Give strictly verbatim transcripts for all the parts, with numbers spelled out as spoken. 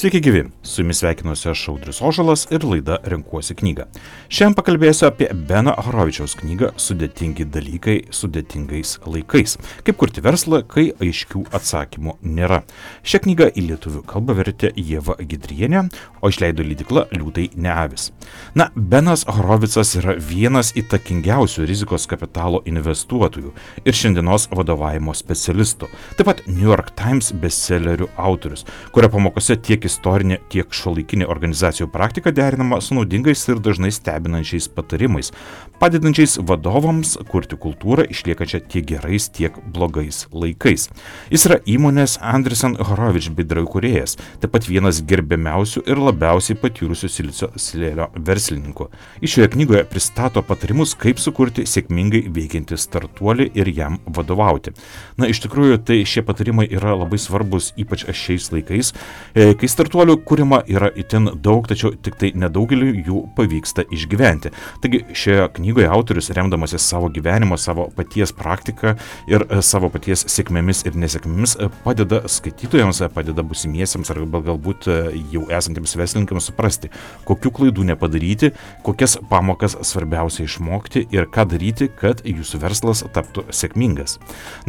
Sveiki gyvi, su jumis sveikinuosi aš Audrius Ožalas ir laida Renkuosi knygą. Šiandien pakalbėsiu apie Beno Horovičiaus knygą Sudėtingi dalykai sudėtingais laikais. Kaip kurti verslą, kai aiškių atsakymų nėra. Šią knygą į lietuvių kalbą vertė Ieva Gidrienė, o išleido leidykla Liūtai ne avys. Na, Benas Horovicas yra vienas įtakingiausių rizikos kapitalo investuotojų ir šiandienos vadovavimo specialistų. Taip pat New York Times bestsellerių autorius, kurio pamokose tiek istorinė, tiek šiuolaikinė organizacijų praktika derinama su naudingais ir dažnai stebinančiais patarimais, padedančiais vadovams kurti kultūrą išliekančią tiek gerais, tiek blogais laikais. Jis yra įmonės Andreessen Horowitz bendraįkūrėjas, taip pat vienas gerbiamiausių ir labiausiai patyrusių silicio slėnio verslininkų. Iš šioje knygoje pristato patarimus, kaip sukurti sėkmingai veikiantį startuolį ir jam vadovauti. Na, iš tikrųjų, tai šie patarimai yra labai svarbus, ypač šiais laikais, kai startuolių kūrima yra itin daug, tačiau tik tai nedaugeliu jų pavyksta išgyventi. Taigi šioje knygoje autorius, remdamasis savo gyvenimo, savo paties praktiką ir savo paties sėkmėmis ir nesėkmėmis, padeda skaitytojams, padeda busimiesiems arba galbūt jau esantiems verslininkams suprasti, kokių klaidų nepadaryti, kokias pamokas svarbiausia išmokti ir ką daryti, kad jūsų verslas taptų sėkmingas.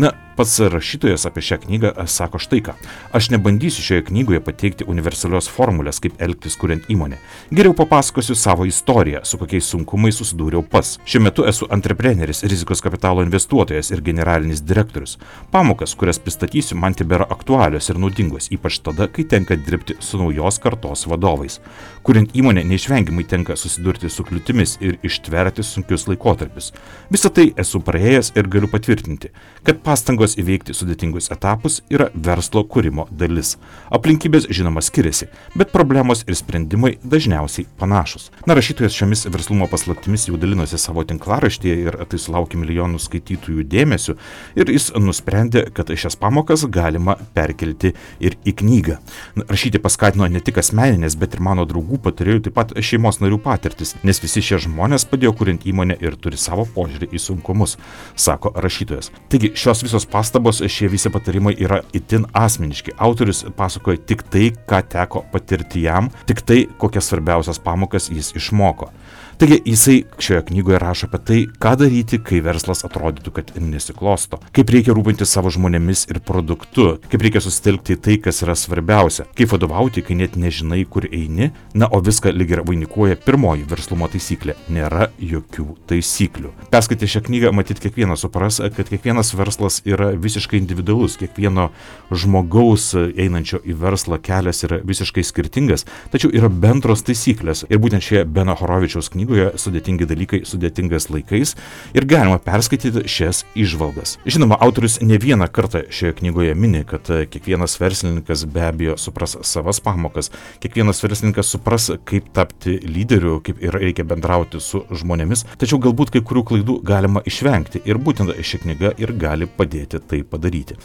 Na, pats rašytojas apie šią knygą sako štai ką. Aš nebandysiu šioje knygoje pateikti universalios formulės, kaip elgtis kuriant įmonę. Geriau papasakosiu savo istoriją, su kokiais sunkumais susidūriau pats. Šiuo metu esu antrepreneris, rizikos kapitalo investuotojas ir generalinis direktorius. Pamokas, kurias pristatysiu, man tebėra aktualios ir naudingos, ypač tada, kai tenka dirbti su naujos kartos vadovais. Kuriant įmonę neišvengiamai tenka susidurti su kliūtimis ir ištverti sunkius laikotarpius. Visą tai esu praėjęs ir galiu patvirtinti, kad pastangos įveikti sudėtingus etapus yra verslo kūrimo dalis. Aplinkybės žinoma skiriasi, bet problemos ir sprendimai dažniausiai panašus. Na, rašytojas šiomis verslumo paslaptimis jau dalinosi savo tinklaraštyje ir tai sulaukė milijonų skaitytojų dėmesio ir jis nusprendė, kad šias pamokas galima perkelti ir į knygą. Na, rašyti paskatino ne tik asmeninės, bet ir mano draugų patarėjų, taip pat šeimos narių patirtis, nes visi šie žmonės padėjo kuriant įmonę ir turi savo požiūrį į sunkumus, sako rašytojas. Taigi šios visos pastabos, šie visi patarimai yra itin asmeniški. Autorius pasakoja tik tai, ką teko patirti jam, tik tai, kokias svarbiausias pamokas jis išmoko. Taigi jisai šioje knygoje rašo apie tai, ką daryti, kai verslas atrodytų, kad nesiklosto, kaip reikia rūpintis savo žmonėmis ir produktu, kaip reikia susitelkti į tai, kas yra svarbiausia, kaip vadovauti, kai net nežinai, kur eini, na, o viską lyg ir vainikuoja pirmoji verslumo taisyklė – nėra jokių taisyklių. Perskaitę šią knygą, matyt, kiekvienas supras, kad kiekvienas verslas yra visiškai individualus, kiekvieno žmogaus einančio į verslą kelias yra visiškai skirtingas, tačiau yra bendros taisyklės ir būtent šioje Beno Horovičiaus knygoje Sudėtingi dalykai sudėtingais laikais ir galima perskaityti šias įžvalgas. Žinoma, autorius ne vieną kartą šioje knygoje mini, kad kiekvienas verslininkas be abejo supras savas pamokas, kiekvienas verslininkas supras, kaip tapti lyderiu, kaip ir reikia bendrauti su žmonėmis, tačiau galbūt kai kurių klaidų galima išvengti ir būtent ši knyga ir gali padėti tai padaryti.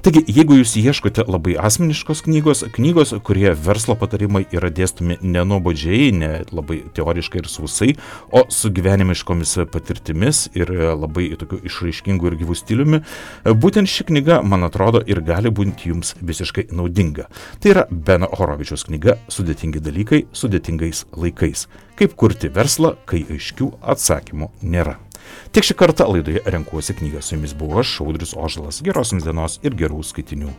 Taigi, jeigu jūs ieškote labai asmeniškos knygos, knygos, kurie verslo patarimai yra dėstomi nenuobodžiai, ne labai teoriškai ir sausai, o su gyvenimiškomis patirtimis ir labai tokiu išraiškingu ir gyvų stiliumi, būtent ši knyga, man atrodo, ir gali būti jums visiškai naudinga. Tai yra Beno Horovičiaus knyga Sudėtingi dalykai sudėtingais laikais. Kaip kurti verslą, kai aiškių atsakymų nėra. Tiek šį kartą laidoje Renkuosi knygą. Su jumis buvau aš, Audrius Ožalas. Geros jums dienos ir gerų skaitinių.